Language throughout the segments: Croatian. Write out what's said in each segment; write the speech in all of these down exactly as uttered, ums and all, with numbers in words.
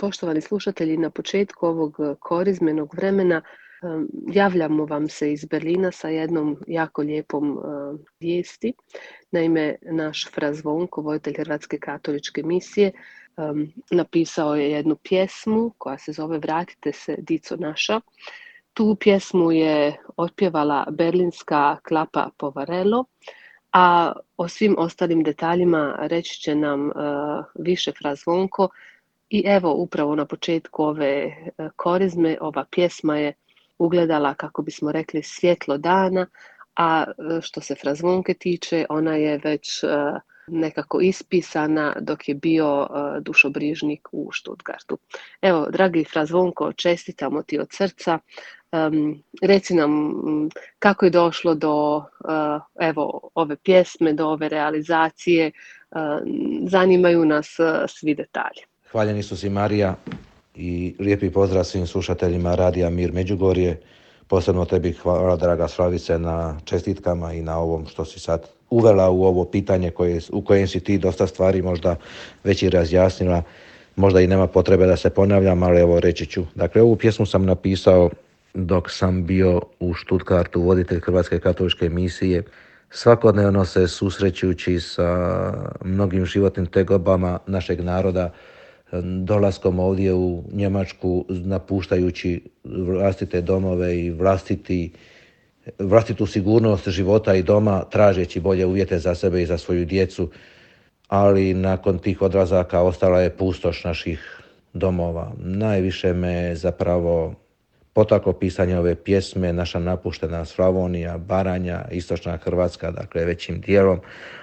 Poštovani slušatelji, na početku ovog e, korizmenog vremena em, javljamo vam se iz Berlina sa jednom jako lijepom e, vijesti. Naime, naš fra Zvonko, voditelj Hrvatske katoličke misije, em, napisao je jednu pjesmu koja se zove Vratite se, dico naša. Tu pjesmu je otpjevala berlinska klapa Povarelo, a o svim ostalim detaljima reći će nam e, više fra Zvonko. I evo, upravo na početku ove e, korizme, ova pjesma je ugledala, kako bismo rekli, svjetlo dana, a e, što se fra Zvonke tiče, ona je već e, nekako ispisana dok je bio e, dušobrižnik u Stuttgartu. Evo, dragi fra Zvonko, čestitamo ti od srca. Um, reci nam m, kako je došlo do uh, evo, ove pjesme, do ove realizacije. Uh, zanimaju nas uh, svi detalji. Hvaljen Isus i Marija i lijepi pozdrav svim slušateljima Radija Mir Međugorje. Posebno tebi hvala, draga Slavice, na čestitkama i na ovom što si sad uvela u ovo pitanje koje, u kojem si ti dosta stvari možda već i razjasnila. Možda i nema potrebe da se ponavljam, ali evo reći ću. Dakle, ovu pjesmu sam napisao dok sam bio u Stuttgartu voditelj Hrvatske katoličke misije, svakodnevno se susrećući sa mnogim životnim tegobama našeg naroda, dolaskom ovdje u Njemačku, napuštajući vlastite domove i vlastiti, vlastitu sigurnost života i doma, tražeći bolje uvjete za sebe i za svoju djecu, ali nakon tih odlazaka ostala je pustoš naših domova. Najviše me zapravo potaklo pisanje ove pjesme, naša napuštena Slavonija, Baranja, istočna Hrvatska, dakle većim dijelom,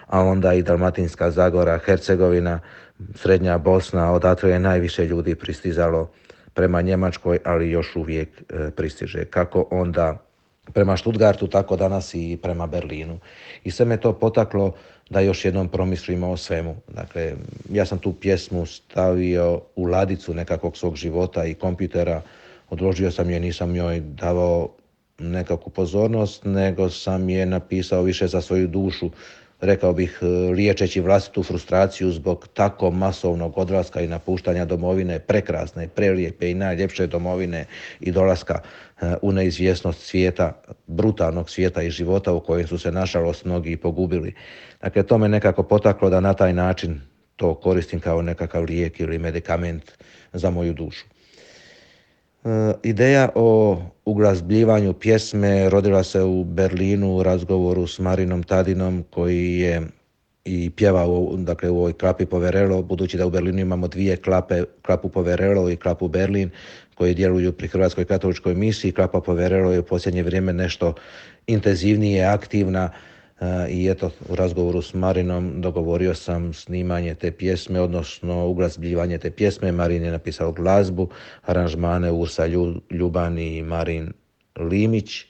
a onda i Dalmatinska Zagora, Hercegovina, srednja Bosna, odatle je najviše ljudi pristizalo prema Njemačkoj, ali još uvijek e, pristiže. Kako onda prema Stuttgartu, tako danas i prema Berlinu. I sve me to potaklo da još jednom promislimo o svemu. Dakle, ja sam tu pjesmu stavio u ladicu nekakvog svog života i kompjutera, odložio sam je, nisam njoj davao nekakvu pozornost, nego sam je napisao više za svoju dušu, rekao bih liječeći vlastitu frustraciju zbog tako masovnog odlaska i napuštanja domovine, prekrasne, prelijepe i najljepše domovine i dolaska u neizvjesnost svijeta, brutalnog svijeta i života u kojem su se nažalost mnogi pogubili. Dakle, to me nekako potaklo da na taj način to koristim kao nekakav lijek ili medikament za moju dušu. Ideja o uglazbljivanju pjesme rodila se u Berlinu u razgovoru s Marinom Tadinom, koji je i pjevao, dakle, u ovoj klapi Poverelo, budući da u Berlinu imamo dvije klape, klapu Poverelo i klapu Berlin, koji djeluju pri Hrvatskoj katoličkoj misiji. Klapa Poverelo je u posljednje vrijeme nešto intenzivnije, aktivna, i eto, u razgovoru s Marinom dogovorio sam snimanje te pjesme, odnosno uglazbljivanje te pjesme. Marin je napisao glazbu, aranžmane Ursa Ljuban i Marin Limić.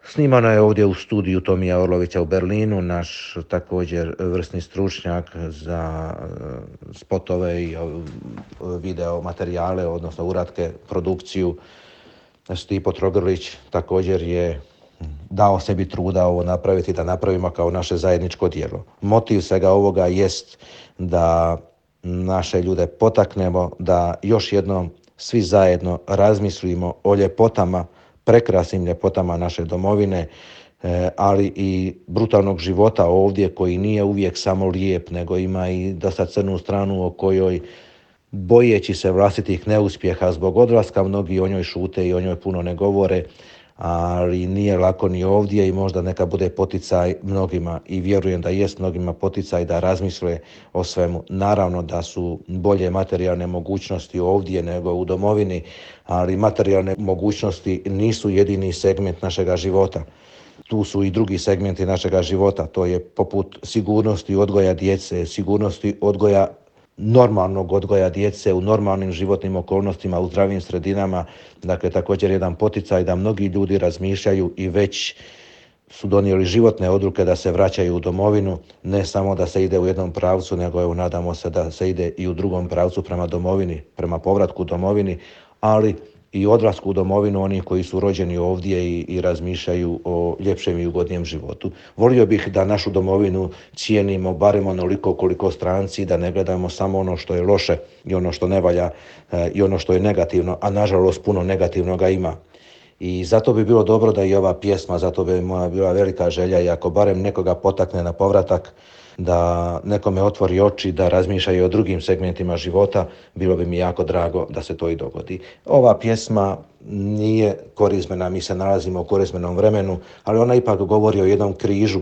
Snimana je ovdje u studiju Tomija Orlovića u Berlinu, naš također vrsni stručnjak za spotove i video materijale, odnosno uratke, produkciju. Stipo Trogrlić također je dao sebi truda ovo napraviti, da napravimo kao naše zajedničko djelo. Motiv svega ovoga jest da naše ljude potaknemo da još jednom svi zajedno razmislimo o ljepotama, prekrasnim ljepotama naše domovine, ali i brutalnog života ovdje koji nije uvijek samo lijep, nego ima i dosta crnu stranu o kojoj, bojeći se vlastitih neuspjeha zbog odlaska, mnogi o njoj šute i o njoj puno ne govore, ali nije lako ni ovdje i možda neka bude poticaj mnogima i vjerujem da jest mnogima poticaj da razmisle o svemu. Naravno da su bolje materijalne mogućnosti ovdje nego u domovini, ali materijalne mogućnosti nisu jedini segment našega života. Tu su i drugi segmenti našega života, to je poput sigurnosti odgoja djece, sigurnosti odgoja normalnog odgoja djece u normalnim životnim okolnostima, u zdravim sredinama. Dakle, također jedan poticaj da mnogi ljudi razmišljaju i već su donijeli životne odluke da se vraćaju u domovinu, ne samo da se ide u jednom pravcu, nego evo, nadamo se da se ide i u drugom pravcu prema domovini, prema povratku domovini, ali i odlasku u domovinu onih koji su rođeni ovdje i, i razmišljaju o ljepšem i ugodnijem životu. Volio bih da našu domovinu cijenimo barem onoliko koliko stranci, da ne gledamo samo ono što je loše i ono što ne valja e, i ono što je negativno, a nažalost puno negativnoga ima. I zato bi bilo dobro da i ova pjesma, zato bi moja bila velika želja i ako barem nekoga potakne na povratak, da nekome otvori oči, da razmišlja i o drugim segmentima života, bilo bi mi jako drago da se to i dogodi. Ova pjesma nije korizmena, mi se nalazimo u korizmenom vremenu, ali ona ipak govori o jednom križu,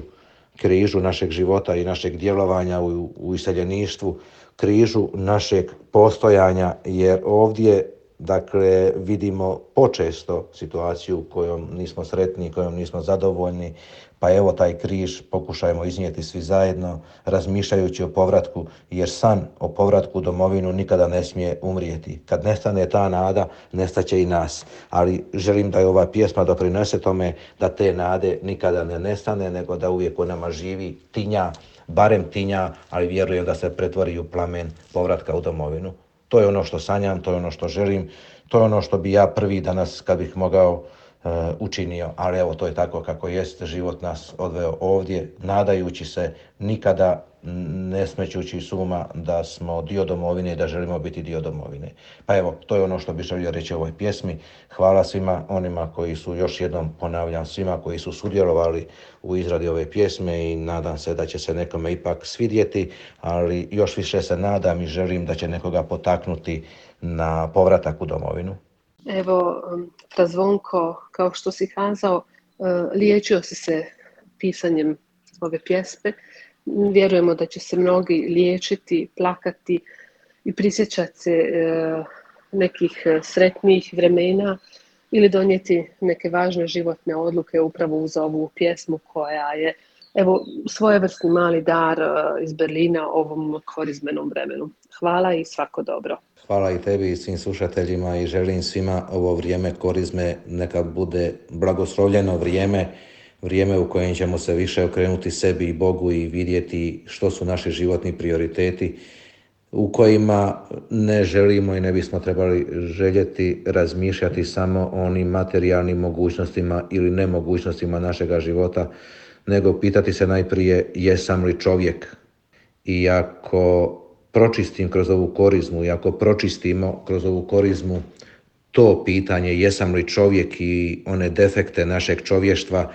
križu našeg života i našeg djelovanja u, u iseljeništvu, križu našeg postojanja, jer ovdje dakle vidimo počesto situaciju kojom nismo sretni, kojom nismo zadovoljni, pa evo taj križ pokušajmo iznijeti svi zajedno, razmišljajući o povratku, jer san o povratku u domovinu nikada ne smije umrijeti. Kad nestane ta nada, nestaće i nas. Ali želim da je ova pjesma doprinese tome da te nade nikada ne nestane, nego da uvijek u nama živi, tinja, barem tinja, ali vjerujem da se pretvori u plamen povratka u domovinu. To je ono što sanjam, to je ono što želim, to je ono što bi ja prvi danas, kad bih mogao, uh, učinio. Ali evo, to je tako kako jest, život nas odveo ovdje, nadajući se, nikada ne smećući s uma da smo dio domovine i da želimo biti dio domovine. Pa evo, to je ono što bih želio reći o ovoj pjesmi. Hvala svima onima koji su, još jednom ponavljam, svima koji su sudjelovali u izradi ove pjesme i nadam se da će se nekome ipak svidjeti, ali još više se nadam i želim da će nekoga potaknuti na povratak u domovinu. Evo, Zvonko, kao što si kazao, liječio si se pisanjem ove pjesme. Vjerujemo da će se mnogi liječiti, plakati i prisjećati se nekih sretnijih vremena ili donijeti neke važne životne odluke upravo uz ovu pjesmu koja je, evo, svojevrsni mali dar iz Berlina ovom korizmenom vremenu. Hvala i svako dobro. Hvala i tebi i svim slušateljima i želim svima ovo vrijeme korizme neka bude blagoslovljeno vrijeme, vrijeme u kojem ćemo se više okrenuti sebi i Bogu i vidjeti što su naši životni prioriteti, u kojima ne želimo i ne bismo trebali željeti razmišljati samo o onim materijalnim mogućnostima ili nemogućnostima našega života, nego pitati se najprije jesam li čovjek. I ako pročistim kroz ovu korizmu i ako pročistimo kroz ovu korizmu to pitanje jesam li čovjek i one defekte našeg čovještva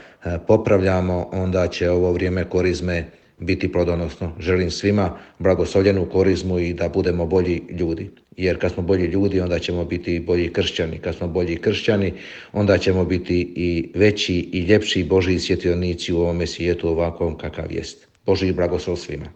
popravljamo, onda će ovo vrijeme korizme biti plodonosno. Želim svima blagoslovljenu korizmu i da budemo bolji ljudi. Jer kad smo bolji ljudi, onda ćemo biti bolji kršćani. Kad smo bolji kršćani, onda ćemo biti i veći i ljepši Božji svjetionici u ovome svijetu ovakvom kakav jest. Božji blagoslov svima.